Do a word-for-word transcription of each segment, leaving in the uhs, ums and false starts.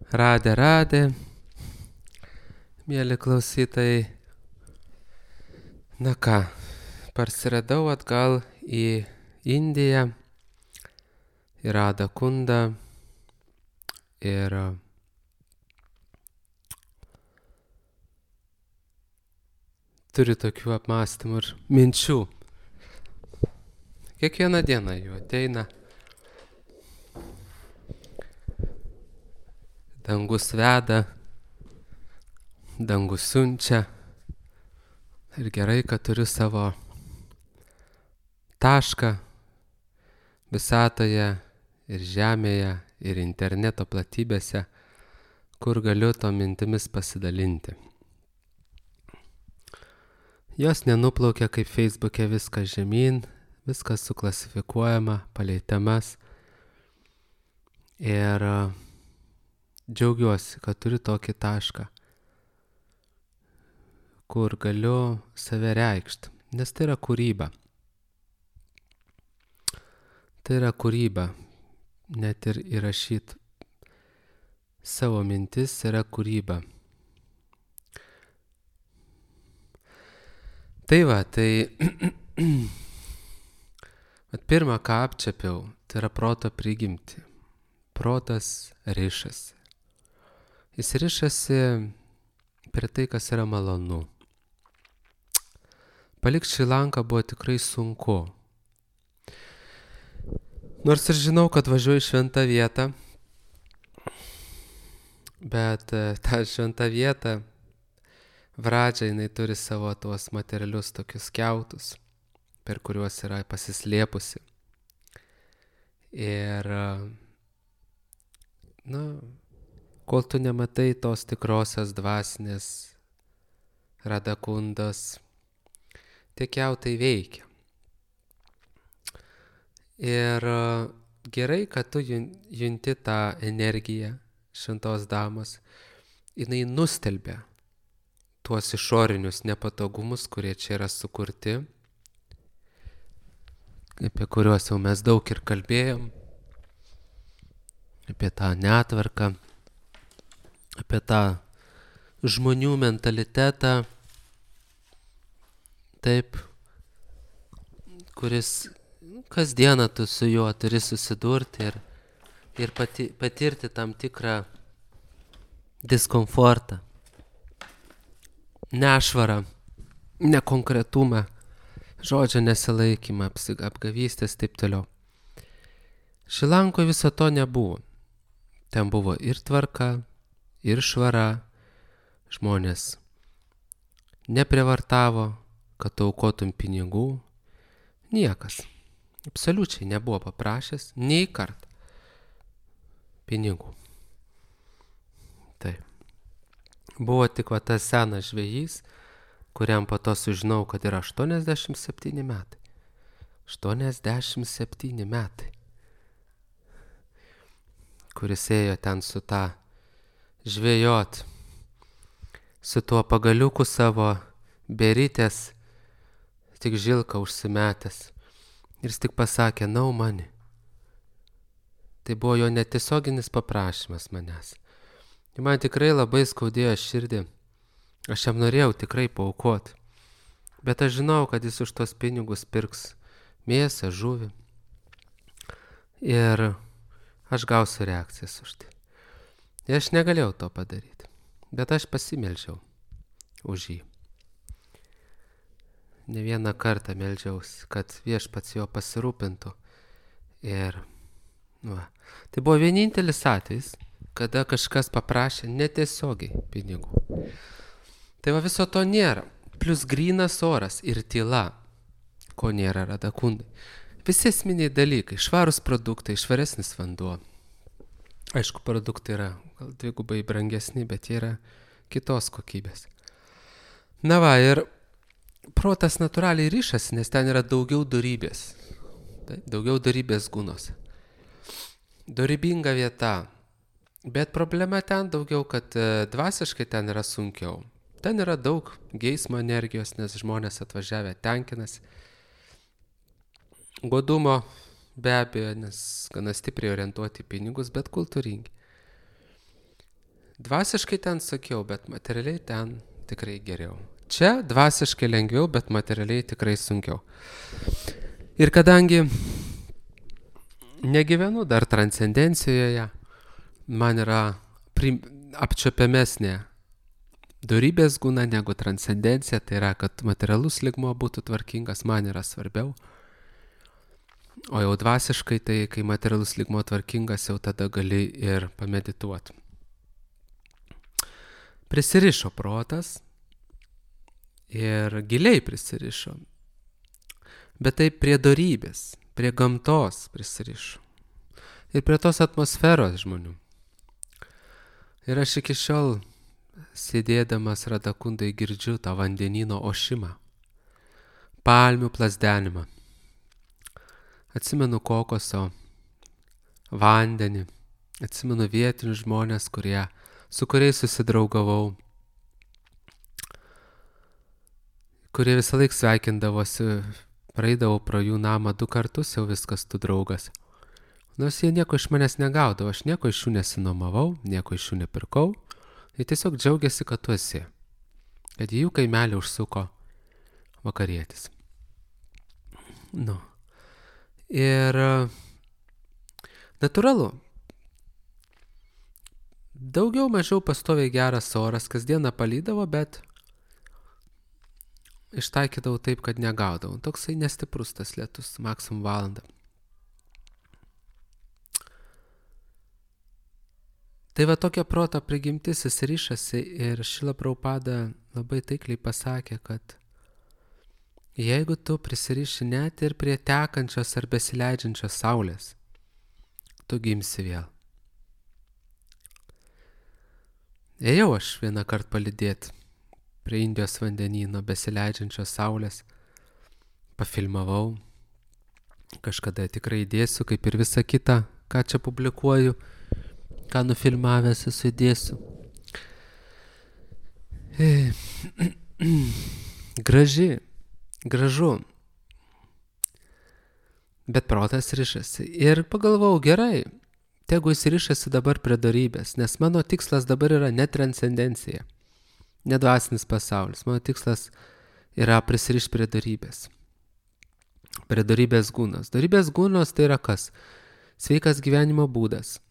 Radė, radė, mėly klausytojai. Na ką, parsiradau atgal į Indiją, į Radą Kundą ir turiu tokių apmąstymų ir minčių. Kiekvieną dieną jų ateina. Dangus veda, dangus siunčia. Ir gerai, kad turiu savo tašką visatoje ir žemėje ir interneto platybėse, kur galiu to mintimis pasidalinti. Jos nenuplaukia kaip Facebook'e viskas žemyn, viskas suklasifikuojama palei temas. Ir džiaugiuosi, kad turiu tokį tašką, kur galiu save reikšti, nes tai yra kūryba. Tai yra kūryba, net ir įrašyti savo mintis yra kūryba. Tai va, tai pirmą, ką apčiapiau, tai yra proto prigimtį. Protas rišasi. Jis rišasi prie tai, kas yra malonu. Palikti Šri Lanką buvo tikrai sunku. Nors ir žinau, kad važiuoju į šventą vietą, bet ta šventa vieta, Vradža, jinai turi savo tuos materialius tokius kiautus, per kuriuos yra pasislėpusi. Ir, na, kol tu nematai tos tikrosios dvasinės Rada Kundos, tie kiautai veikia. Ir gerai, kad tu junti tą energiją šventos damos, jinai nustelbia tuos išorinius nepatogumus, kurie čia yra sukurti, apie kuriuos jau mes daug ir kalbėjom, apie tą netvarką, apie tą žmonių mentalitetą, taip, kuris kasdieną tu su juo turi susidurti ir, ir pati, patirti tam tikrą diskomfortą, nešvarą, nekonkretumą, žodžio nesilaikymą, apgavystės, taip toliau. Šri Lankoje viso to nebuvo. Ten buvo ir tvarka, ir švara. Žmonės neprievartavo, kad tu aukotum pinigų. Niekas. Absoliučiai nebuvo paprašęs nei kartą pinigų. Taip. Buvo tik va tas senas žvejys, kuriam po to sužinau, kad yra aštuoniasdešimt septyni metai. aštuoniasdešimt septyni metai. Kuris ėjo ten su tą žvejot, su tuo pagaliuku savo beritės, tik žilką užsimetęs. Ir jis tik pasakė, nau mani. Tai buvo jo netiesioginis paprašymas manęs. Ir man tikrai labai skaudėjo širdį. Aš jam norėjau tikrai paaukoti. Bet aš žinau, kad jis už tos pinigus pirks mėsą, žuvį. Ir aš gausiu reakcijas už tai. Ir aš negalėjau to padaryti. Bet aš pasimeldžiau už jį. Ne vieną kartą meldžiausi, kad viešpats jo pasirūpintų. Ir va. Tai buvo vienintelis atvejis, kada kažkas paprašė netiesiogiai pinigų. Tai va, viso to nėra. Plius grynas oras ir tyla, ko nėra Rada Kundai. Visi esminiai dalykai, švarūs produktai, švaresnis vanduo. Aišku, produktai yra gal dvigubai brangesni, bet jie yra kitos kokybės. Na va, ir protas natūraliai ryšasi, nes ten yra daugiau dorybės. Tai, daugiau dorybės gunos. Dorybinga vieta. Bet problema ten daugiau, kad dvasiškai ten yra sunkiau. Ten yra daug geismo energijos, nes žmonės atvažiavę tenkinasi. Godumo be abejo, nes gana stipriai orientuoti į pinigus, bet kultūringi. Dvasiškai ten sakiau, bet materialiai ten tikrai geriau. Čia dvasiškai lengviau, bet materialiai tikrai sunkiau. Ir kadangi negyvenu dar transcendencijoje, man yra prim, apčiopiamesnė dorybės guna negu transcendencija, tai yra, kad materialus lygmuo būtų tvarkingas, man yra svarbiau. O jau dvasiškai, tai kai materialus lygmuo tvarkingas, jau tada gali ir pamedituoti. Prisirišo protas ir giliai prisirišo, bet tai prie dorybės, prie gamtos prisirišo ir prie tos atmosferos žmonių. Ir aš iki šiol sėdėdamas Radakundai girdžiu tą vandenyno ošimą, palmių plazdenimą. Atsimenu kokoso vandenį, atsimenu vietinius žmonės, kurie, su kuriais susidraugavau, kurie visą laik sveikindavosi, praeidavau pro jų namą du kartus, jau viskas tu draugas. Nors jie nieko iš manęs negaudavo, aš nieko iš jų nesinomavau, nieko iš jų nepirkau. Jie tiesiog džiaugiasi, kad tu esi, kad jų kaimelį užsuko vakarietis. Nu. Ir natūralu, daugiau mažiau pastoviai geras oras, kasdieną palydavo, bet ištaikydavau taip, kad negaudavau. Toksai nestiprus tas lietus, maksimum valandą. Tai va tokia proto prigimtis įsirišasi ir Šrila Prabhupada labai taikliai pasakė, kad jeigu tu prisiriši net ir prie tekančios ar besileidžiančios saulės, tu gimsi vėl. Ėjau aš vieną kartą palydėti prie Indijos vandenyno besileidžiančios saulės, pafilmavau, kažkada tikrai įdėsiu, kaip ir visą kitą, ką čia publikuoju, ką nufilmavęs esu įdėsiu. Graži, gražu, bet protas rišasi. Ir pagalvojau, gerai, tegu jis rišasi dabar prie dorybės, nes mano tikslas dabar yra ne transcendencija, ne dvasinis pasaulis. Mano tikslas yra prisirišti prie dorybės. Prie dorybės gunos. Dorybės gunos tai yra kas? Sveikas gyvenimo būdas.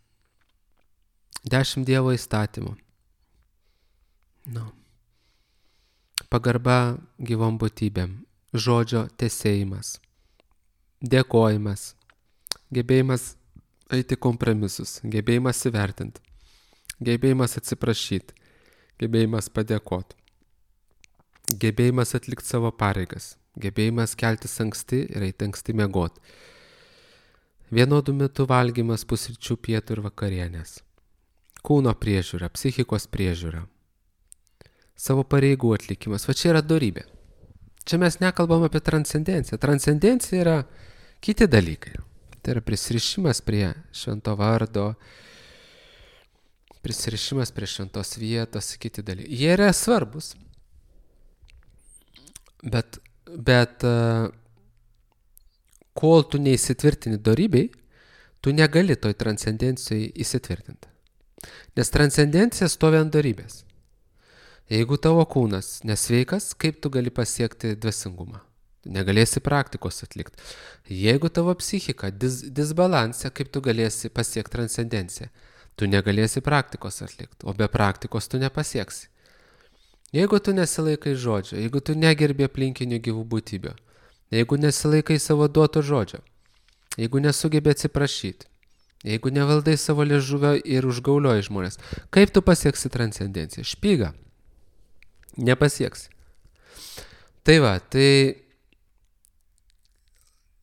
Dešimt Dievo įstatymų. Nu. Pagarba gyvom būtybėm. Žodžio tesėjimas. Dėkojimas. Gebėjimas eiti kompromisus. Gebėjimas įvertinti. Gebėjimas atsiprašyti. Gebėjimas padėkoti. Gebėjimas atlikti savo pareigas. Gebėjimas keltis anksti ir eiti anksti miegoti. Vienodų metų valgymas pusryčių, pietų ir vakarienės. Kūno priežiūra, psichikos priežiūra. Savo pareigų atlikimas. Va čia yra dorybė. Čia mes nekalbam apie transcendenciją. Transcendencija yra kiti dalykai. Tai yra prisirišimas prie švento vardo, prisirišimas prie šventos vietos, kiti dalykai. Jie yra svarbus. Bet, bet kol tu neįsitvirtini dorybei, tu negali toj transcendencijai įsitvirtinti. Nes transcendencija stovi ant dorybės. Jeigu tavo kūnas nesveikas, kaip tu gali pasiekti dvasingumą? Negalėsi praktikos atlikti. Jeigu tavo psichika dis, disbalansė, kaip tu galėsi pasiekti transcendenciją? Tu negalėsi praktikos atlikti, o be praktikos tu nepasieksi. Jeigu tu nesilaikai žodžio, jeigu tu negerbi aplinkinių gyvų būtybių, jeigu nesilaikai savo duoto žodžio, jeigu nesugebi atsiprašyti, jeigu nevaldai savo liežuvio ir užgaulioji žmonės, kaip tu pasieksi transcendenciją? Špyga. Nepasieksi. Tai va, tai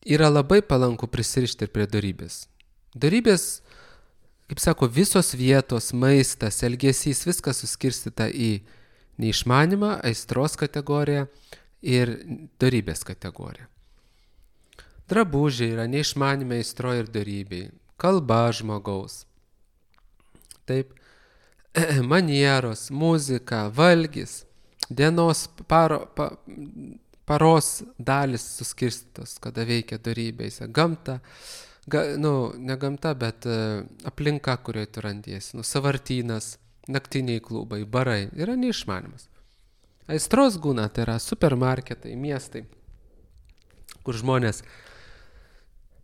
yra labai palanku prisirišti ir prie dorybės. Dorybės, kaip sako, visos vietos, maistas, elgesys, viskas suskirstyta į neišmanimą, aistros kategoriją ir dorybės kategoriją. Drabužiai yra neišmanime, aistro ir dorybei. Kalba žmogaus. Taip, manieros, muzika, valgis, dienos paro, pa, paros dalis suskirstytos, kada veikia dorybėse. Gamta, ga, nu, ne gamta, bet uh, aplinka, kurioje tu randiesi. Nu, savartynas, naktiniai klubai, barai, yra neišmanimas. Aistros gūna, tai yra supermarketai, miestai, kur žmonės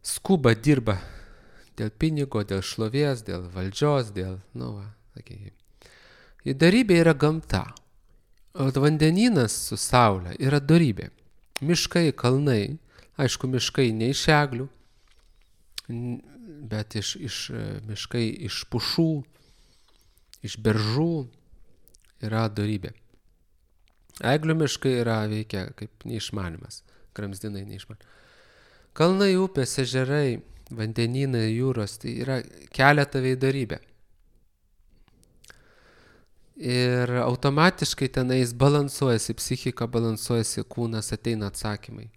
skuba, dirba dėl pinigo, dėl šlovės, dėl valdžios, dėl, nu, va, sakykime. Ir darybė yra gamta, o vandenynas su saulė yra dorybė. Miškai, kalnai, aišku, miškai ne iš eglių, bet iš, iš miškai iš pušų, iš beržų yra dorybė. Eglių miškai yra veikia kaip neišmanimas, gramzdinai neišmanimas. Kalnai, upės, ežerai, vandenynai, jūros, tai yra keletą veidorybė. Ir automatiškai tenais balansuojasi, psichika balansuojasi, kūnas, ateina atsakymai.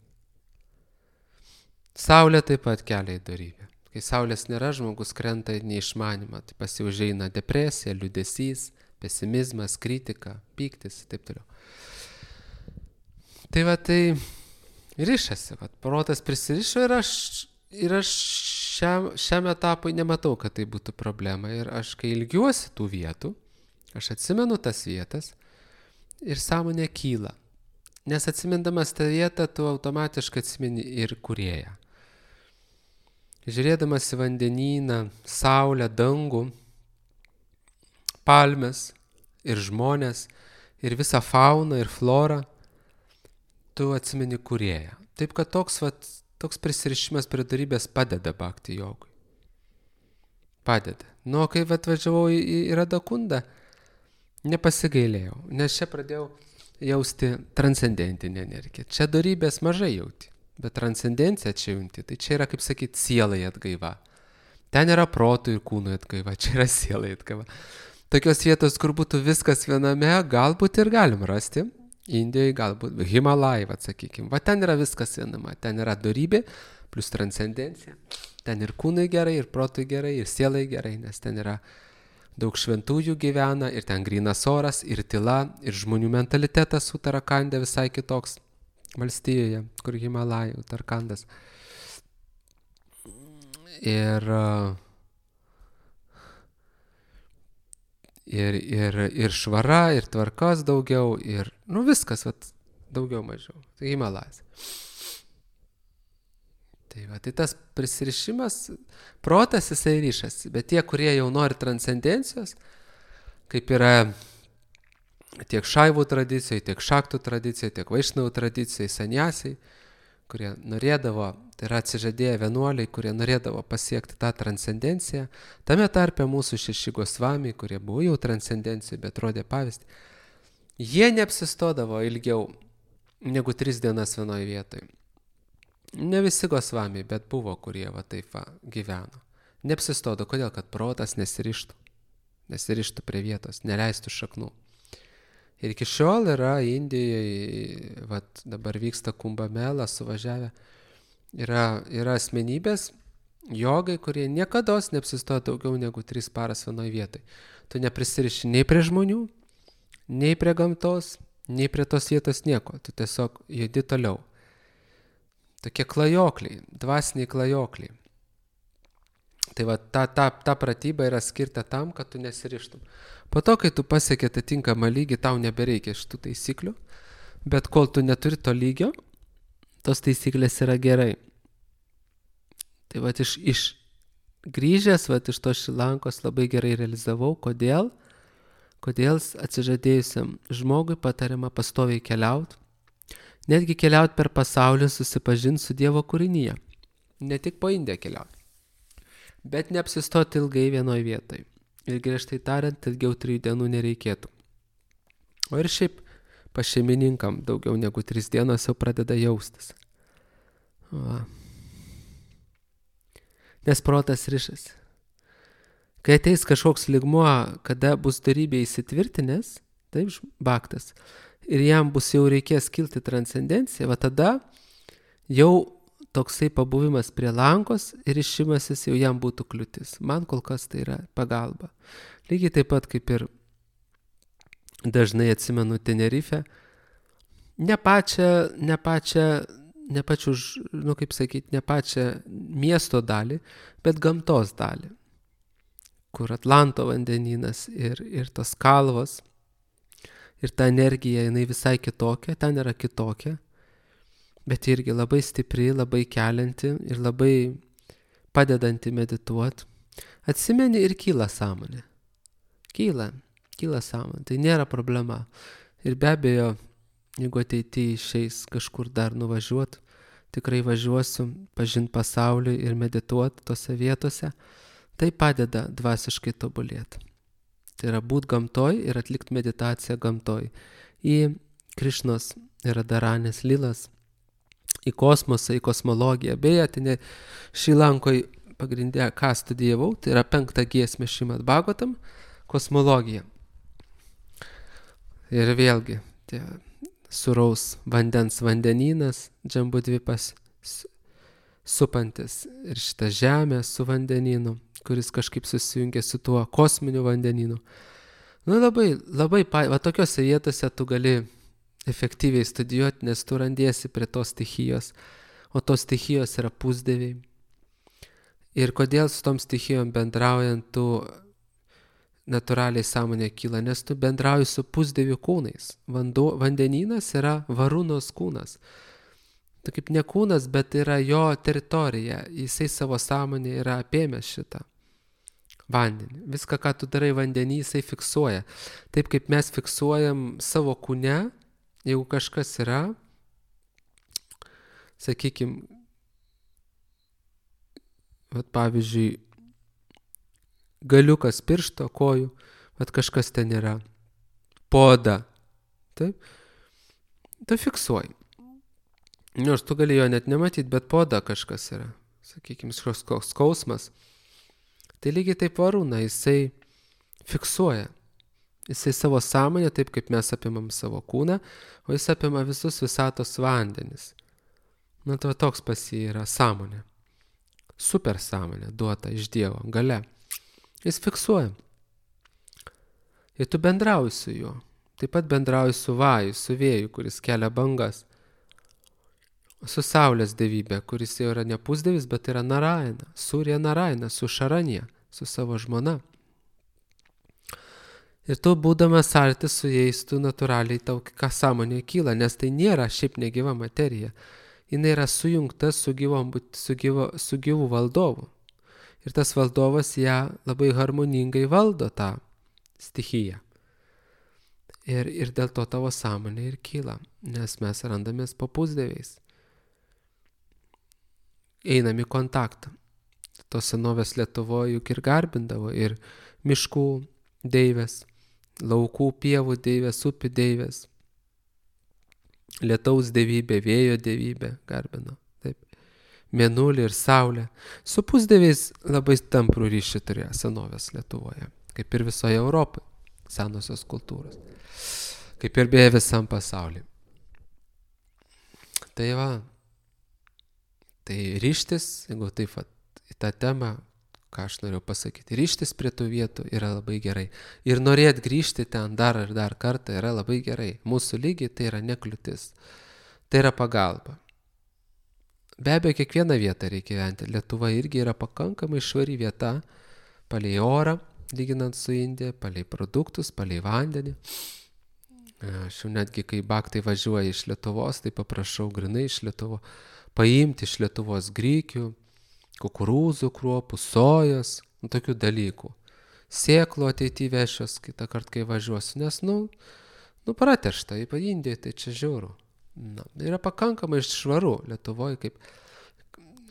Saulė taip pat kelia į dorybę. Kai saulės nėra, žmogus krenta į neišmanimą, tai pasiužeina depresija, liūdesys, pesimizmas, kritika, pyktis, taip toliau. Tai va, tai rišasi, va, protas prisirišo ir aš, ir aš šiam, šiam etapui nematau, kad tai būtų problema. Ir aš, kai ilgiuosi tų vietų, aš atsimenu tas vietas ir sąmonė kyla. Nes atsimindamas tą vietą, tu automatiškai atsimeni ir kūrėją. Žiūrėdamas į vandenyną, saulę, dangų, palmes ir žmonės, ir visą fauną ir florą, tu atsimeni kūrėją. Taip, kad toks, vat, toks prisirišimas prie dorybės padeda bhakti jogui. Padeda. Nu, kai atvažiavau į, į Radakundą, nepasigailėjau, nes čia pradėjau jausti transcendentinę energiją. Čia dorybės mažai jauti, bet transcendencija čia jauti. Tai čia yra, kaip sakyti, sielai atgaiva. Ten yra protų ir kūnų atgaiva, čia yra sielai atgaiva. Tokios vietos, kur būtų viskas viename, galbūt ir galim rasti. Indijoje galbūt, Himalajai, va, sakykime. Va, ten yra viskas viename. Ten yra dorybė plus transcendencija. Ten ir kūnai gerai, ir protai gerai, ir sielai gerai, nes ten yra daug šventųjų gyvena, ir ten grynas oras, ir tyla, ir žmonių mentalitetas Utarakande visai kitoks valstijoje, kur Himalajai, Utarakandas. Ir, ir, ir, ir švara, ir tvarkos daugiau, ir, nu, viskas, vat, daugiau mažiau. Tai Himalajas. Tai, va, tai tas prisirišimas, protas jisai ryšasi, bet tie, kurie jau nori transcendencijos, kaip yra tiek šaivų tradicijoje, tiek šaktų tradicijoje, tiek vaišnavų tradicijoje, sanjasiai, kurie norėdavo, tai yra atsižadėję vienuoliai, kurie norėdavo pasiekti tą transcendenciją, tame tarpe mūsų šeši gosvamiai, kurie buvo jau transcendencijoje, bet rodė pavyzdį, jie neapsistodavo ilgiau negu tris dienas vienoje vietoje. Ne visi gosvamiai, bet buvo, kurie va taip va gyveno. Neapsistodo, kodėl, kad protas nesirištų. Nesirištų prie vietos, neleistų šaknų. Ir iki šiol yra Indijoje, va dabar vyksta Kumbamela, suvažiavę, yra, yra asmenybės, jogai, kurie niekados neapsistoja daugiau negu tris paras vienoje vietoje. Tu neprisiriši nei prie žmonių, nei prie gamtos, nei prie tos vietos nieko. Tu tiesiog judi toliau. Tokie klajokliai, dvasiniai klajokliai. Tai va, ta, ta, ta pratyba yra skirta tam, kad tu nesirištum. Po to, kai tu pasieki atitinkamą lygį, tau nebereikia šitų taisyklių, bet kol tu neturi to lygio, tos taisyklės yra gerai. Tai va, iš, iš grįžęs, va, iš to Šrilankos labai gerai realizavau. Kodėl? Kodėl atsižadėjusiam žmogui patariama pastoviai keliauti. Netgi keliauti per pasaulį, susipažinti su Dievo kūrinyje. Ne tik po Indiją keliauti. Bet neapsistoti ilgai vienoje vietoje. Ir griežtai tariant, ilgiau trijų dienų nereikėtų. O ir šiaip pas šeimininkam daugiau negu tris dienos jau pradeda jaustis. Va. Nes protas rišasi. Kai ateis kažkoks lygmuo, kada bus dorybė įsitvirtinęs, taip, bhaktas, ir jam bus jau reikės kilti transcendenciją, va tada jau toksai pabuvimas prie lankos ir išimasis jau jam būtų kliūtis. Man kol kas tai yra pagalba. Lygiai taip pat kaip ir dažnai atsimenu Tenerife, ne pačią, ne pačią, ne pačių, nu kaip sakyti, ne pačią miesto dalį, bet gamtos dalį. kur Atlanto vandenynas ir, ir tos kalvos. Ir ta energija, jinai visai kitokia, ten yra kitokia, bet irgi labai stipri, labai kelianti ir labai padedanti medituoti. Atsimeni ir kyla sąmonė. Kyla, kyla sąmonė, tai nėra problema. Ir be abejo, jeigu ateityje išeis kažkur dar nuvažiuoti, tikrai važiuosiu pažinti pasaulį ir medituoti tose vietose, tai padeda dvasiškai tobulėti. Tai yra būt gamtoj ir atlikti meditaciją gamtoj. Į Krišnos ir Radharanės lilas, į kosmosą, į kosmologiją. Beje, tai ne Šrilankoj pagrindė, ką studijavau, tai yra penktą giesmę Šrimad Bhagavatam, kosmologija. Ir vėlgi, tie sūraus vandens vandenynas, Džambudvipas supantis ir šitą žemę su vandenynu, kuris kažkaip susijungia su tuo kosminiu vandenynu. Nu labai, labai, va tokiose vietose tu gali efektyviai studijuoti, nes tu randiesi prie tos stichijos, o tos stichijos yra pusdieviai. Ir kodėl su tom stichijom bendraujant tu natūraliai sąmonė kyla, nes tu bendrauji su pusdievių kūnais. Vandu, vandenynas yra Varunos kūnas. Tai kaip ne kūnas, bet yra jo teritorija. Jisai savo sąmonė yra apėmęs šitą vandenį. Viską, ką tu darai vandenį, jisai fiksuoja. Taip kaip mes fiksuojam savo kūne, jeigu kažkas yra, sakykim, vat pavyzdžiui, galiukas piršto, kojų, vat kažkas ten yra. Poda. Taip? Tu fiksuoji. Nors tu gali jo net nematyti, bet poda kažkas yra. Sakykim, kažkoks skausmas. Tai lygiai taip Varuna, jisai fiksuoja. Jisai savo sąmonę, taip kaip mes apimam savo kūną, o jis apima visus visatos vandenis. Na, tai toks pas jį yra sąmonė. Super sąmonė duota iš Dievo, gale. Jis fiksuoja. Ir tu bendrauji su juo. Taip pat bendrauji su vaju, su vėju, kuris kelia bangas. Su saulės dievybė, kuris jau yra ne pusdievis, bet yra Narayana. Surya Narayana, su Šaranija, su savo žmona. Ir tu būdamas arti su jais, tu natūraliai tau ką sąmonė kyla, nes tai nėra šiaip negyva materija. Jis yra sujungta su, gyvom, su, gyvo, su gyvų valdovu. Ir tas valdovas ją labai harmoningai valdo tą stichiją. Ir, ir dėl to tavo sąmonė ir kyla, nes mes randamės po pusdieviais. Einam į kontaktą. Tos senovės Lietuvoje juk ir garbindavo ir miškų deivės, laukų pievų deivės, upių deivės, lietaus dievybė, vėjo dievybė garbino. Taip. Mėnulį ir saulę. Su pusdieviais labai tamprų ryšį turėjo senovės Lietuvoje, kaip ir visoje Europoje, senosios kultūros, kaip ir beje visam pasaulyje. Tai va, tai ryštis, jeigu taip vat, į tą temą, ką aš noriu pasakyti, ryštis prie tų vietų yra labai gerai. Ir norėt grįžti ten dar ir dar kartą yra labai gerai. Mūsų lygiai tai yra nekliūtis. Tai yra pagalba. Be abejo, kiekvieną vietą reikia gyventi. Lietuva irgi yra pakankamai švari vieta, palei orą, lyginant su Indija, palei produktus, palei vandenį. Aš jau netgi, kai baktai važiuoja iš Lietuvos, tai paprašau grinai iš Lietuvo paimti iš Lietuvos grikių, kukurūzų kruopų, sojos, nu, tokių dalykų. Sėklų ateityje vešios kitą kartą, kai važiuosiu, nes, nu, nu pratešta, ypač Indijoje, tai čia žiauru. Na, yra pakankamai švaru Lietuvoje, kaip,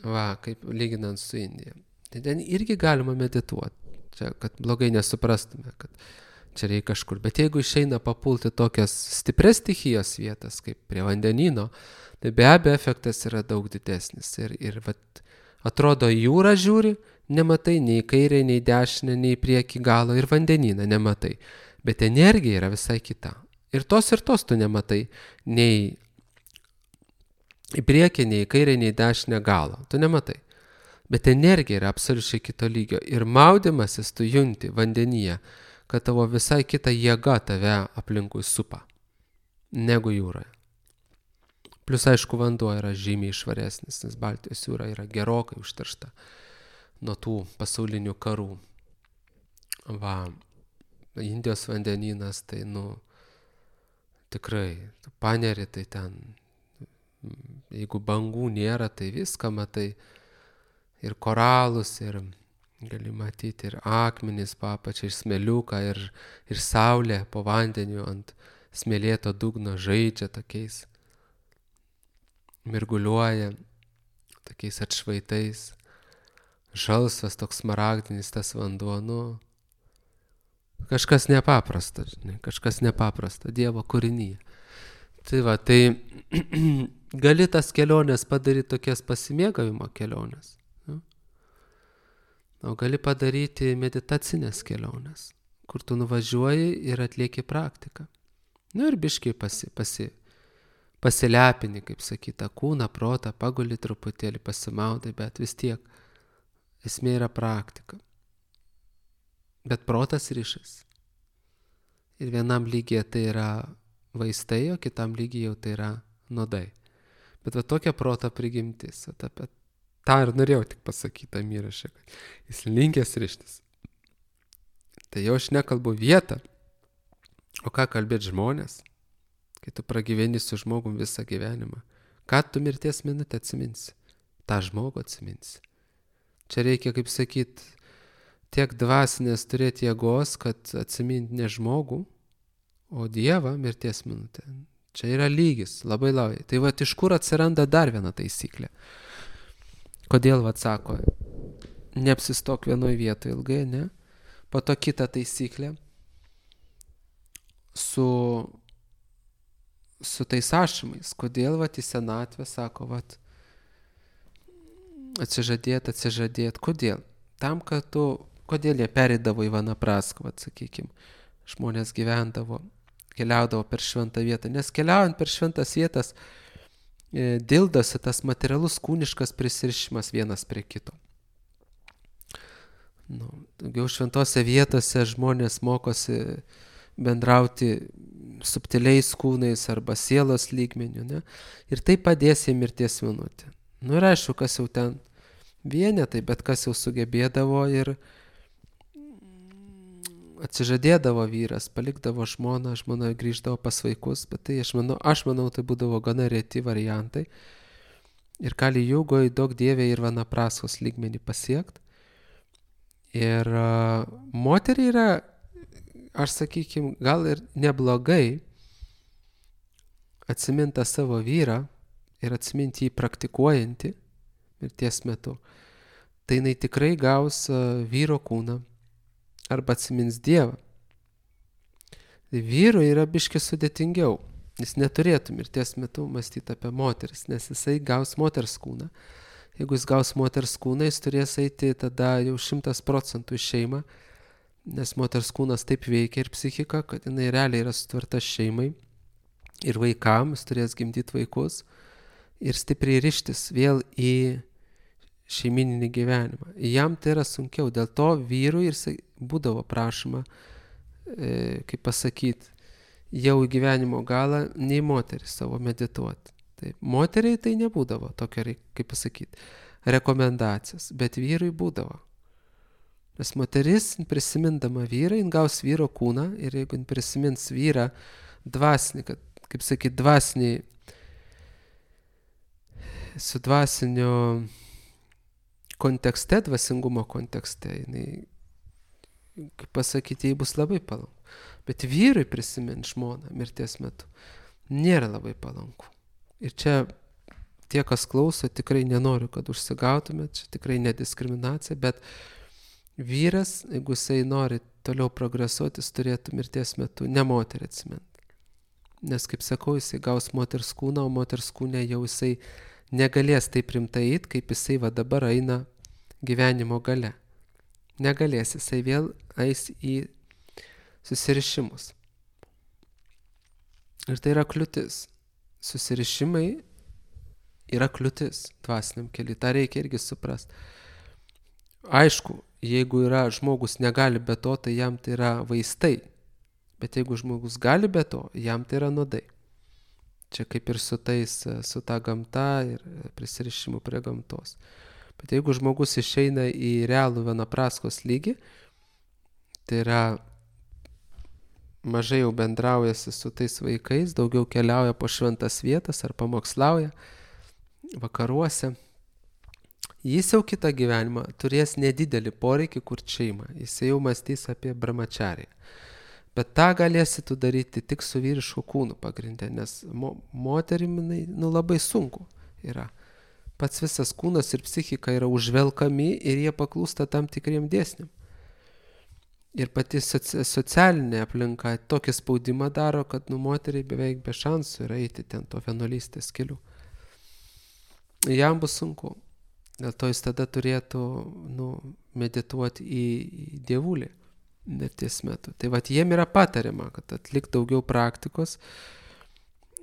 va, kaip lyginant su Indija. Tai ten irgi galima medituoti, čia, kad blogai nesuprastume, kad čia reikia kažkur. Bet jeigu išeina papulti tokias stipres stichijos vietas, kaip prie vandenino, tai be abejo efektas yra daug didesnis. Ir, ir vat, atrodo, jūrą žiūri, nematai nei kairė, nei dešinė, nei prieki galo ir vandenyną nematai. Bet energija yra visai kita. Ir tos ir tos tu nematai nei į priekį, nei kairė, nei dešinę galo. Tu nematai. Bet energija yra absoliučiai kito lygio. Ir maudimasis tu junti vandenyje, kad tavo visai kita jėga tave aplinkui supa, negu jūroje. Plius, aišku, vanduo yra žymiai švaresnis, nes Baltijos jūra yra gerokai užteršta nuo tų pasaulinių karų. Va, Indijos vandenynas, tai, nu, tikrai, tu paneri, tai ten, jeigu bangų nėra, tai viską matai, ir koralus, ir gali matyti, ir akmenys papačiai, ir smėliuką, ir, ir saulė po vandeniu ant smėlėto dugno žaidžia tokiais, mirguliuoja tokiais atšvaitais, žalsvas toks smaragdinis tas vanduo, nu, kažkas nepaprasta, žinai, kažkas nepaprasta, Dievo kūrinyje. Tai va, tai gali tas keliones padaryti tokias pasimėgavimo keliones. Nu? O gali padaryti meditacinės keliones, kur tu nuvažiuoji ir atlieki praktiką. Nu ir biškiai pasi, pasi, pasilepini, kaip sakyta, kūną, protą, paguli truputėlį, pasimaudai, bet vis tiek esmė yra praktika. Bet protas ryšas. Ir vienam lygiai tai yra vaistai, o kitam lygiai jau tai yra nuodai. Bet va tokia proto prigimtis. Apie tą ir norėjau tik pasakyti Įraše, kad jis linkęs ryštis. Tai jau aš nekalbu vietą, o ką kalbėti žmonės, kai tu pragyveni su žmogum visą gyvenimą. Ką tu mirties minutę atsiminsi? tą žmogų atsiminsi. Čia reikia, kaip sakyt, tiek dvasinės turėti jėgos, kad atsiminti ne žmogų, o Dievą mirties minutę. Čia yra lygis, labai labai. Tai vat iš kur atsiranda dar viena taisyklė. Kodėl vat sako, neapsistok vienoj vietoje ilgai, ne? Po to kita taisyklė su, su tais ašymais. Kodėl vat į senatvę sako, vat atsižadėt, atsižadėt. Kodėl? Tam, kad tu, kodėl jie pereidavo į Vanapraską, vat sakykim, žmonės gyvendavo, keliaudavo per šventą vietą. Nes keliaujant per šventas vietas e, dildosi tas materialus kūniškas prisirišimas vienas prie kito. Nu, daugiau šventose vietose žmonės mokosi bendrauti subtiliais kūnais arba sielos lygmeniu, ne? Ir tai padės į mirties minutę. Nu ir aišku, kas jau ten vienetai, bet kas jau sugebėdavo ir atsižadėdavo vyras, palikdavo žmoną, žmona grįždavo pas vaikus, bet tai aš manau, aš manau, tai būdavo gana reti variantai. Ir Kali Jugoj daug dievė ir Vanapraskos lygmenį pasiekt. Ir uh, moteriai yra, aš sakykim, gal ir neblogai atsiminti savo vyrą ir atsiminti jį praktikuojantį mirties metu. Tai jinai tikrai gaus uh, vyro kūną arba atsimins Dievą. Tai vyrui yra biški sudėtingiau. Jis neturėtų mirties metu mąstyti apie moteris, nes jisai gaus moters kūną. Jeigu jis gaus moters kūną, jis turės eiti tada jau šimtas procentų į šeimą, nes moters kūnas taip veikia ir psichika, kad jinai realiai yra sutverta šeimai ir vaikams, jis turės gimdyti vaikus ir stipriai rištis vėl į šeimininį gyvenimą. Jam tai yra sunkiau, dėl to vyrui ir būdavo prašoma, e, kaip pasakyti, jau į gyvenimo galą nei moteris savo medituoti. Taip, moteriai tai nebūdavo tokio, kaip pasakyti, rekomendacijos, bet vyrui būdavo. Nes moteris, prisimindama vyrą, jin gaus vyro kūną ir jeigu jin prisimins vyrą dvasinį, kad, kaip sakyti, dvasinį, su dvasinio kontekste, dvasingumo kontekste, jinai, kaip pasakyti, jai bus labai palanku. Bet vyrui prisiminti žmoną mirties metu nėra labai palanku. Ir čia tie, kas klauso, tikrai nenoriu, kad užsigautumėt, čia tikrai nediskriminacija, bet vyras, jeigu jisai nori toliau progresuoti, jis turėtų mirties metu ne moterį atsiminti. Nes, kaip sakau, jisai gaus moters kūną, o moters kūne jau jisai negalės taip rimtai eit, kaip jisai va dabar eina gyvenimo gale. Negalės, jisai vėl eis į susirišimus. Ir tai yra kliūtis. Susirišimai yra kliūtis dvasiniam keliui. Ta reikia irgi suprast. Aišku, jeigu yra žmogus negali be to, tai jam tai yra vaistai. Bet jeigu žmogus gali be to, jam tai yra nuodai. Čia kaip ir su tais, su ta gamta ir prisirišimu prie gamtos. Bet jeigu žmogus išeina į realų Vanapraskos lygį, Tai yra mažai jau bendraujasi su tais vaikais, daugiau keliauja po šventas vietas ar pamokslauja vakaruose. Jis jau kitą gyvenimą turės nedidelį poreikį kurti šeimą. Jis jau mąstys apie brahmachariją. Bet tą galėsi tu daryti tik su vyrišku kūnu pagrindė, nes mo moterim nu, labai sunku yra. Pats visas kūnas ir psichika yra užvelkami ir jie paklūsta tam tikriem dėsniam. Ir pati soci socialinė aplinka tokį spaudimą daro, kad nu, moteriai beveik be šansų yra eiti ten to vienuolystės keliu. Jam bus sunku. Dėl to jis tada turėtų nu, medituoti į, į dievulį mirties metu. Tai vat jiem yra patariama, kad atlik daugiau praktikos.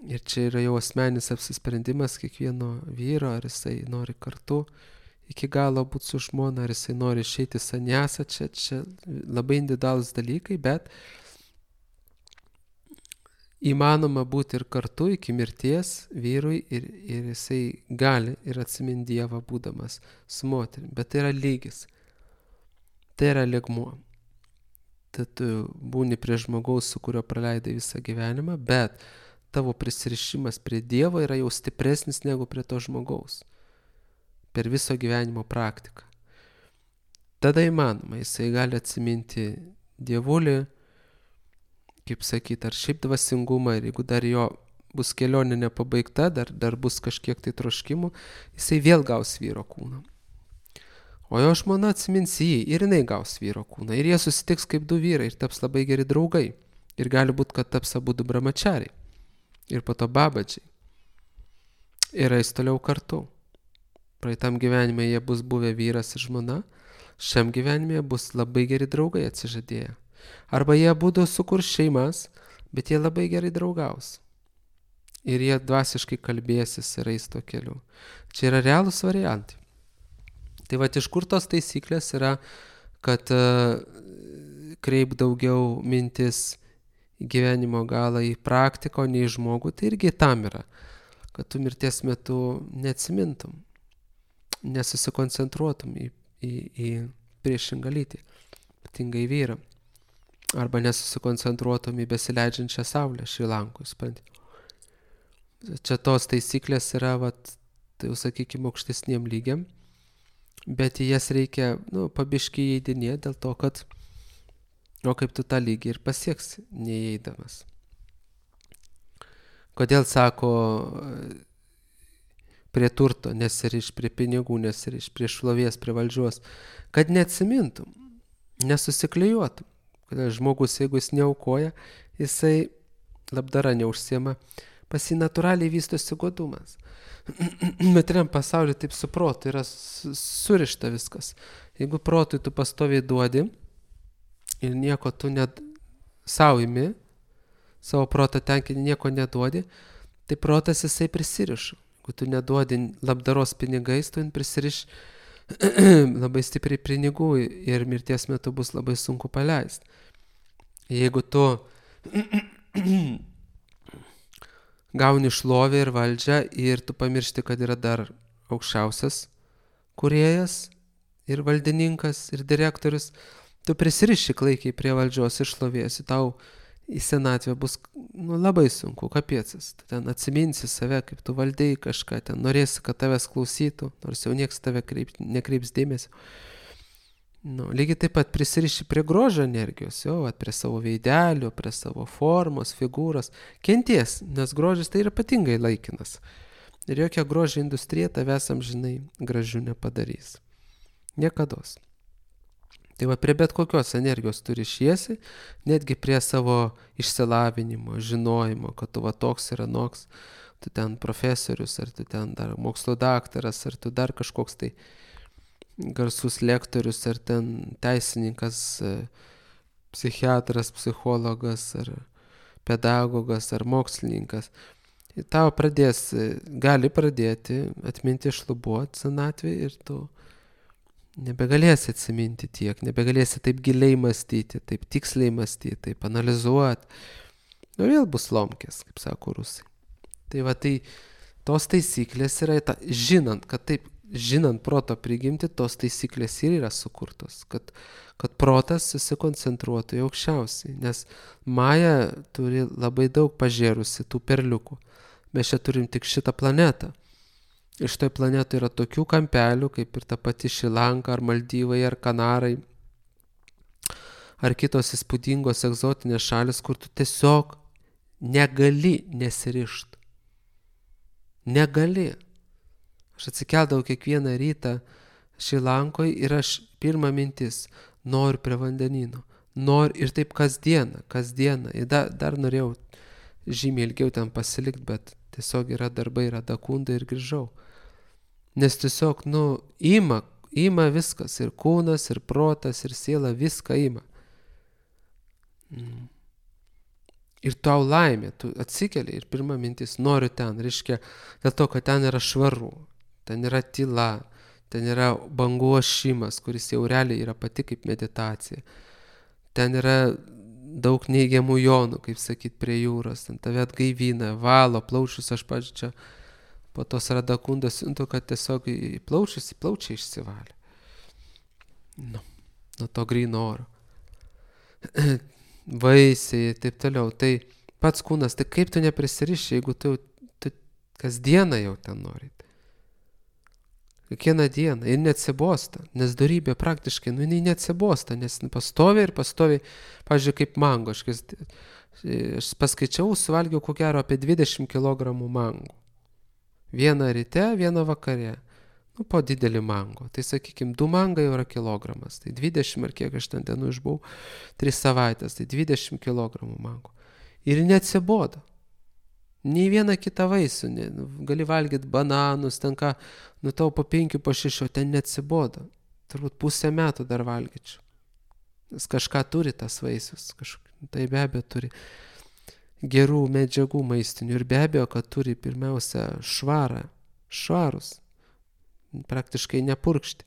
Ir čia yra jau asmeninis apsisprendimas kiekvieno vyro, ar jisai nori kartu iki galo būti su žmona, ar jisai nori išeiti saniasą, čia, čia labai individualūs dalykai, bet įmanoma būti ir kartu iki mirties vyrui ir, ir jisai gali ir atsiminti Dievą būdamas su moterim, bet tai yra lygis, tai yra lygmuo. Tai tu būni prie žmogaus, su kurio praleidai visą gyvenimą, bet tavo prisirišimas prie Dievo yra jau stipresnis negu prie to žmogaus. Per viso gyvenimo praktiką. Tada įmanoma, jisai gali atsiminti dievulį, kaip sakyti, ar šiaip dvasingumą, ir jeigu dar jo bus kelionė nepabaigta, dar, dar bus kažkiek tai troškimų, jisai vėl gaus vyro kūną. O jo žmona atsimins jį ir jinai gaus vyro kūną. Ir jie susitiks kaip du vyrai ir taps labai geri draugai. Ir gali būti, kad taps abudu brahmachariai. Ir po to babadžiai. Ir eis toliau kartu. Praeitam gyvenime jie bus buvę vyras ir žmona, šiam gyvenime bus labai geri draugai atsižadėję. Arba jie abudu sukurs šeimas, bet jie labai gerai draugaus. Ir jie dvasiškai kalbėsis ir eis to keliu. Čia yra realūs variantai. Tai va, iš kur tos taisyklės yra, kad uh, kreip daugiau mintis į gyvenimo galą, į praktiką, o ne į žmogų, tai irgi tam yra, kad tu mirties metu neatsimintum. Nesusikoncentruotum į, į, į priešingą lytį, ypatingai vyrą, arba nesusikoncentruotum į besileidžiančią saulę Šri Lankoj, supranti. Čia tos taisyklės yra, vat, tai jau sakykime, aukštesniem lygiam, bet į jas reikia, nu, pabiškai įeidinėti dėl to, kad, o kaip tu tą lygį ir pasieksi, neįeidamas. Kodėl sako, prie turto nesiriš, prie pinigų nesiriš, prie šlovės, prie valdžios, kad neatsimintum, nesusiklijuotum. Kad žmogus, jeigu jis neaukoja, jisai labdara neužsiema, pas jį natūraliai vystosi godumas. Materiam pasauliu taip su protu yra surišta viskas. Jeigu protui tu pastoviai duodi ir nieko tu net savo imi, savo proto tenkinį nieko neduodi, tai protas jisai prisiriša. Jeigu tu neduodi labdaros pinigais, tu prisiriš labai stipriai pinigų ir mirties metu bus labai sunku paleisti. Jeigu tu gauni šlovę ir valdžią ir tu pamiršti, kad yra dar aukščiausias kūrėjas ir valdininkas ir direktorius, tu prisiriši klaikiai prie valdžios ir šlovės, tau į senatvę bus nu, labai sunku, kapiecas. Tu ten atsiminsi save, kaip tu valdėjai kažką, ten norėsi, kad tavęs klausytų, nors jau nieks tave kreip, nekreips dėmesio. Nu, lygiai taip pat prisiriši prie grožio energijos, jo, at, prie savo veidelio, prie savo formos, figūros. Kenties, nes grožis tai yra ypatingai laikinas. Ir jokia grožio industrija tavęs amžinai gražių nepadarys. Niekados. Tai va, prie bet kokios energijos turi šiesi, netgi prie savo išsilavinimo, žinojimo, kad tu va toks ir anoks, tu ten profesorius, ar tu ten dar mokslo daktaras, ar tu dar kažkoks tai garsus lektorius, ar ten teisininkas, psichiatras, psichologas, ar pedagogas, ar mokslininkas. Ir tau pradės, gali pradėti atminti šlubuoti senatvį ir tu nebegalėsi atsiminti tiek, nebegalėsi taip giliai mąstyti, taip tiksliai mąstyti, taip analizuoti. Nu vėl bus lomkės, kaip sako rusai. Tai va, tai tos taisyklės yra, ta, žinant, kad taip žinant proto prigimti, tos taisyklės ir yra sukurtos, kad, kad protas susikoncentruotų į aukščiausiai, nes Maja turi labai daug pažėrusi tų perliukų. Mes čia turim tik šitą planetą. Ir šitoj planetoje yra tokių kampelių, kaip ir ta pati Šilanka, ar Maldyvai, ar Kanarai, ar kitos įspūdingos egzotinės šalis, kur tu tiesiog negali nesirišt. Negali. Aš atsikeldavau kiekvieną rytą Šilankoje ir aš pirma mintis, noriu prie vandenyno. Noriu ir taip kasdieną, kasdieną. Ir dar, dar norėjau žymiai ilgiau ten pasilikti, bet tiesiog yra darbai, yra dakunda ir grįžau. Nes tiesiog, nu, ima, ima viskas. Ir kūnas, ir protas, ir siela, viską ima. Mm. Ir tau laimė, tu atsikeli ir pirma mintis, noriu ten, reiškia, dėl to, kad ten yra švaru, ten yra tyla, ten yra bangų ošimas, kuris jau realiai yra pati kaip meditacija. Ten yra daug neigiamų jonų, kaip sakyt, prie jūros, ten tave atgaivina, valo, plaučius, aš pačiu čia po tos radakundos siuntu, kad tiesiog į plaučius, į plaučiai išsivalė. Nu, nuo to gryno oro. Vaisiai, taip toliau. Tai pats kūnas, tai kaip tu neprisiriši, jeigu tu, tu kasdieną jau ten nori. Kiekvieną dieną ir neatsibosta, nes dorybė praktiškai, nu, jinai neatsibosta, nes pastoviai ir pastoviai, pavyzdžiui, kaip mango. Aš, aš paskaičiau, suvalgiau ko gero apie dvidešimt kilogramų mangų. Vieną ryte, vieną vakare. Nu, po didelį mango. Tai sakykime, du mangai jau yra kilogramas. Tai dvidešimt ar kiek aš ten dienų išbuvau, tris savaitės, tai dvidešimt kilogramų mango. Ir neatsibodo. Nei vieną kitą vaisių. Ne, gali valgyti bananus, ten ką, nu tau po penkių, po šešių, ten neatsibodo. Turbūt pusę metų dar valgyčiau. Nes kažką turi tas vaisius. Kažk... Tai be abejo turi gerų medžiagų maistinių. Ir be abejo, kad turi pirmiausia švarą. Švarus. Praktiškai nepurkšti.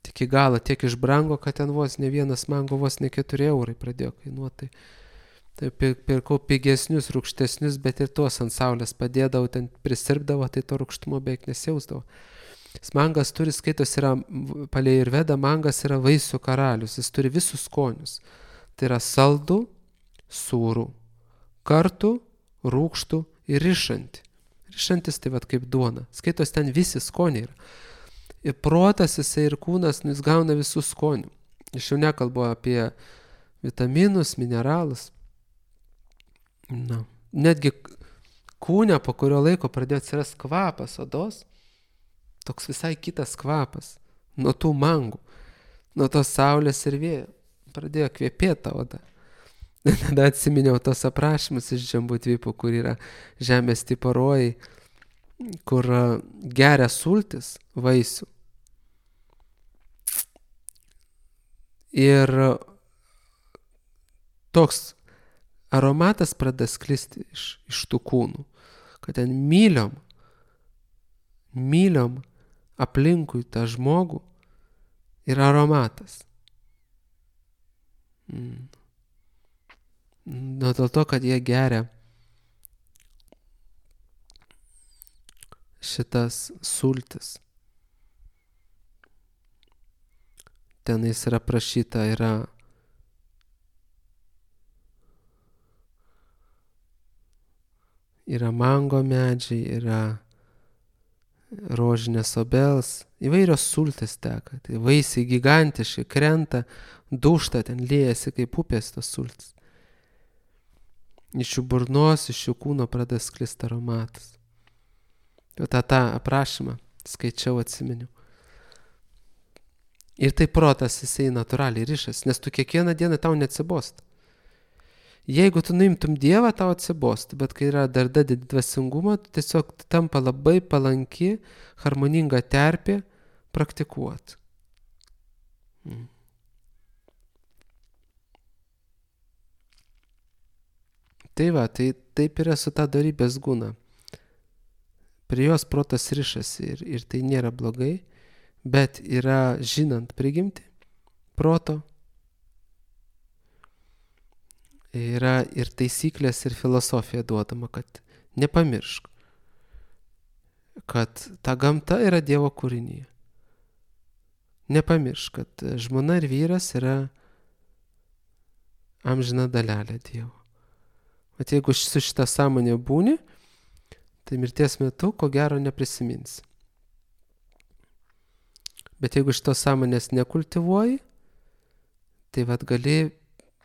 Tik į galą tiek išbrango, kad ten vos ne vienas mango vos ne keturi eurai pradėjo kainuoti. Tai pirkau pigesnius, rūgštesnius, bet ir tuos ant saulės padėdavau, ten prisirpdavo, tai to rūgštumo beveik nesijausdavo. Mangas turi, skaitos, yra palei ir veda, mangas yra vaisių karalius, jis turi visus skonius. Tai yra saldų, sūrų, kartų, rūgštų ir rišanti. Rišantis tai vat kaip duona. Skaitos, ten visi skoniai yra. Ir protas, jisai ir kūnas, nu, jis gauna visus skonių. Aš jau nekalbu apie vitaminus, mineralus. Na, netgi kūne po kurio laiko pradėjo atsiras kvapas odos, toks visai kitas kvapas, nuo tų mangų, nuo tos saulės ir vėjo. Pradėjo kvepėti tą odą. Tada atsiminiau tos aprašymus iš Džambudvipų, kur yra žemės tipo rojai, kur geria sultis vaisių. Ir toks aromatas pradeda sklisti iš, iš tų kūnų, kad ten myliom, myliom aplinkui tą žmogų ir aromatas. Mm. Nu, dėl to, kad jie geria šitas sultis. Tenais yra prašyta, yra yra mango medžiai, yra rožinės obels, įvairios sultis teka. Tai vaisiai gigantiški, krenta, dūšta, ten liejasi kaip upės tos sultis. Iš jų burnos, iš jų kūno pradeda sklisti aromatas. Jau tą, tą aprašymą skaičiau, atsiminiau. Ir tai protas, jisai natūraliai rišas, nes tu kiekvieną dieną tau neatsibosta. Jeigu tu nuimtum Dievą, tau atsibosta, bet kai yra dar didesnio dvasingumo, tiesiog tampa labai palanki, harmoninga terpė praktikuoti. Mm. Tai va, tai taip yra su ta dorybės guna. Prie jos protas rišasi ir, ir tai nėra blogai, bet yra žinant prigimti proto, yra ir taisyklės, ir filosofija duodama, kad nepamiršk, kad ta gamta yra Dievo kūrinija. Nepamiršk, kad žmona ir vyras yra amžina dalelė Dievo. Bet jeigu su šitą sąmonę būni, tai mirties metu ko gero neprisiminsi. Bet jeigu šitos sąmonės nekultivuoji, tai vat gali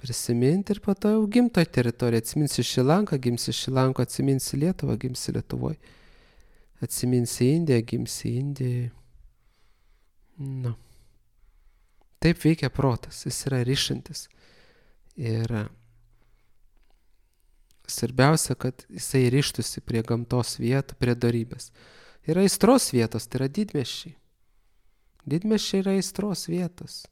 prisiminti ir po to jau gimtoj teritoriją. Atsiminsi Šrilanką, gimsi Šrilanko, atsiminsi Lietuvą, gimsi Lietuvoj. Atsiminsi Indiją, gimsi Indijai. Nu. Taip veikia protas, jis yra ryšantis. Ir svarbiausia, kad jisai ryštųsi prie gamtos vietų, prie dorybės. Yra aistros vietos, tai yra didmiesčiai. Didmiesčiai yra aistros vietos.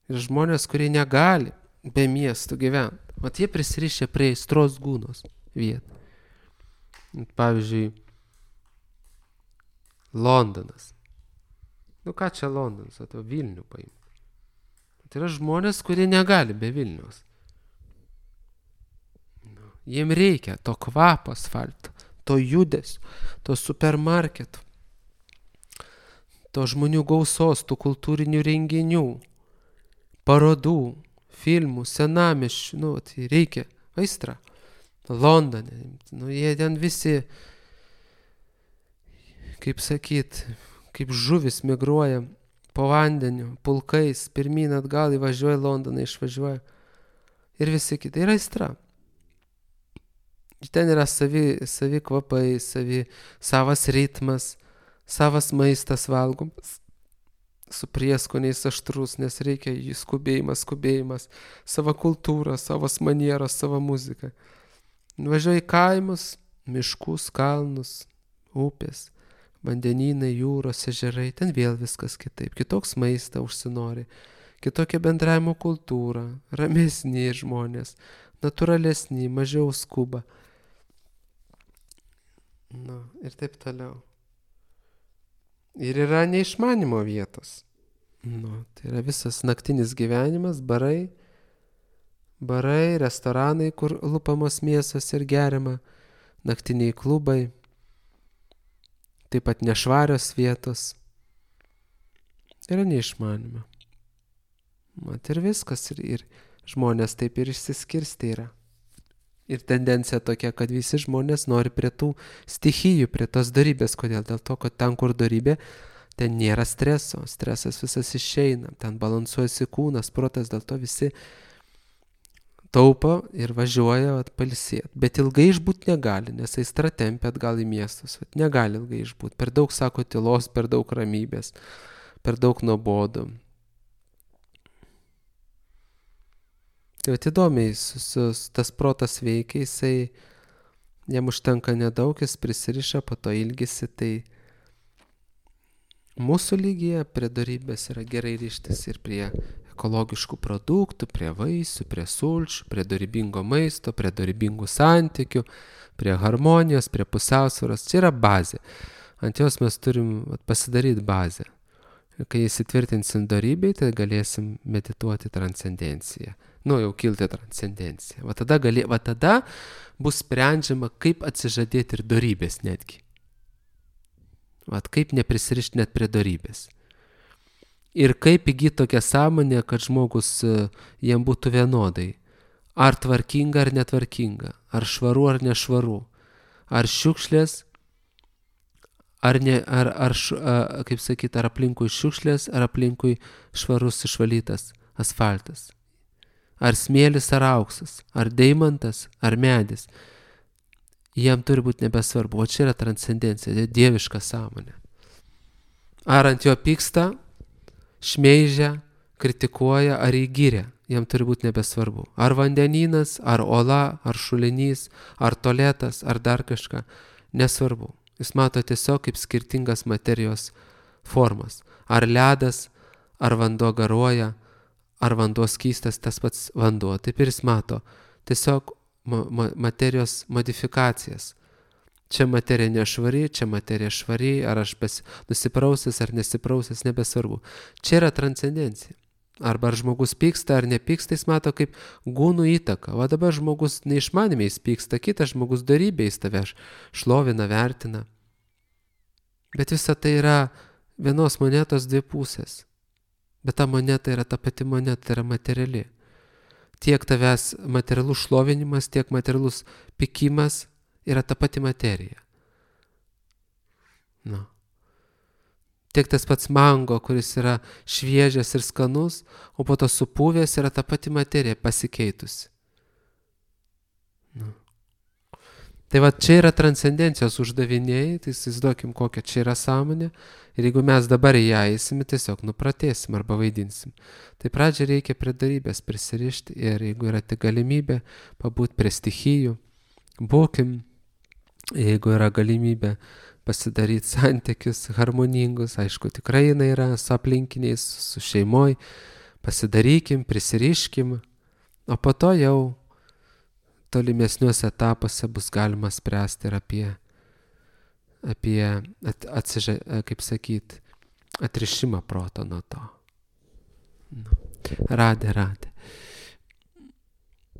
Ir žmonės, kurie negali be miestų gyventi, mat jie prisirišę prie aistros gūnos vietų. Pavyzdžiui, Londonas. Nu ką čia Londonas, o to Vilnių paimti. Tai yra žmonės, kurie negali be Vilniaus. Nu, jiem reikia to kvapo asfalto, to judesio, to supermarketų, to žmonių gausos, tų kultūrinių renginių, parodų, filmų, senamiesčių, nu, tai reikia aistra. Londone, nu, jie ten visi, kaip sakyt, kaip žuvis migruoja po vandeniu, pulkais, pirmyn atgal įvažiuoja Londoną, išvažiuoja. Ir visi kiti. Yra aistra. Ten yra savi, savi kvapai, savi, savas ritmas, savas maistas valgomas, su prieskoniais aštrus, nes reikia jį skubėjimas, skubėjimas, savo kultūrą, savas manieros, savo muziką. Važiuoji kaimus, miškus, kalnus, upės, vandenynai, jūros, ežerai, ten vėl viskas kitaip. Kitoks maistą užsinori, kitokia bendravimo kultūra, ramesni žmonės, natūralesni, mažiau skuba. Nu, ir taip toliau. Ir yra neišmanimo vietos. Nu, tai yra visas naktinis gyvenimas, barai, barai, restoranai, kur lupamos mėsos ir geriama, naktiniai klubai, taip pat nešvarios vietos. Yra neišmanimo. Mat ir viskas, ir, ir žmonės taip ir išsiskirsti yra. Ir tendencija tokia, kad visi žmonės nori prie tų stichijų, prie tos dorybės. Kodėl? Dėl to, kad ten, kur dorybė, ten nėra streso. Stresas visas išeina. Ten balansuojasi kūnas, protas, dėl to visi taupo ir važiuoja pailsėti. Bet ilgai išbūt negali, nes aistra tempia atgal į miestus. Vat negali ilgai išbūt. Per daug, sako, tylos, per daug ramybės, per daug nuobodų. Tai vat įdomiai, su, su, tas protas veikia, jisai, jam užtenka nedaug, jis prisiriša, po to ilgisi, tai mūsų lygyje prie dorybės yra gerai ryštis ir prie ekologiškų produktų, prie vaisių, prie sulčių, prie dorybingo maisto, prie dorybingų santykių, prie harmonijos, prie pusiausvyros. Čia yra bazė. Ant jos mes turim pasidaryti bazę. Ir kai įsitvirtinsim dorybei, tai galėsim medituoti transcendenciją. Nu, jau kilti transcendenciją. Va tada, gali, va tada bus sprendžiama, kaip atsižadėti ir dorybės netgi. Va kaip neprisirišti net prie dorybės. Ir kaip įgyti tokią sąmonę, kad žmogus jam būtų vienodai. Ar tvarkinga, ar netvarkinga. Ar švaru, ar nešvaru. Ar šiukšlės, ar, ne, ar, ar a, kaip sakyt, ar aplinkui šiukšlės, ar aplinkui švarus išvalytas asfaltas. Ar smėlis, ar auksas, ar deimantas, ar medis. Jam turi būti nebesvarbu. O čia yra transcendencija, tai dieviška sąmonė. Ar ant jo pyksta, šmeižia, kritikuoja, ar įgyria. Jam turi būti nebesvarbu. Ar vandenynas, ar ola, ar šulinys, ar tualetas, ar dar kažką. Nesvarbu. Jis mato tiesiog kaip skirtingas materijos formas. Ar ledas, ar vanduo garuoja, ar vanduo skystas, tas pats vanduo. Taip ir jis mato tiesiog ma- ma- materijos modifikacijas. Čia materija nešvari, čia materija švari, ar aš bes, nusiprausęs ar nesiprausęs, nebesvarbu. Čia yra transcendencija. Arba ar žmogus pyksta ar nepyksta, jis mato kaip gūnų įtaką. O dabar žmogus neišmanimiais pyksta, kitas žmogus dorybė, jis tave šlovina, vertina. Bet visa tai yra vienos monetos dvi pusės. Bet ta moneta yra ta pati moneta, tai yra materiali. Tiek tavęs materialus šlovinimas, tiek materialus pikimas yra ta pati materija. Nu. Tiek tas pats mango, kuris yra šviežias ir skanus, o po to supuvęs yra ta pati materija pasikeitusi. Nu. Tai va čia yra transcendencijos uždaviniai, tai įsivaizduokim, kokia čia yra sąmonė. Ir jeigu mes dabar į ją eisime, tiesiog nupratėsim arba vaidinsim. Tai pradžiai reikia prie darybės prisirišti ir jeigu yra tik galimybė pabūt prie stichijų, būkim, jeigu yra galimybė pasidaryti santykius harmoningus, aišku, tikrai jinai yra su aplinkiniais, su šeimoj, pasidarykim, prisiriškim, o po to jau tolimesniuose etapuose bus galima spręsti ir apie, apie at, atsiža, kaip sakyt, atrišimą proto nuo to. Nu. Radė, radė.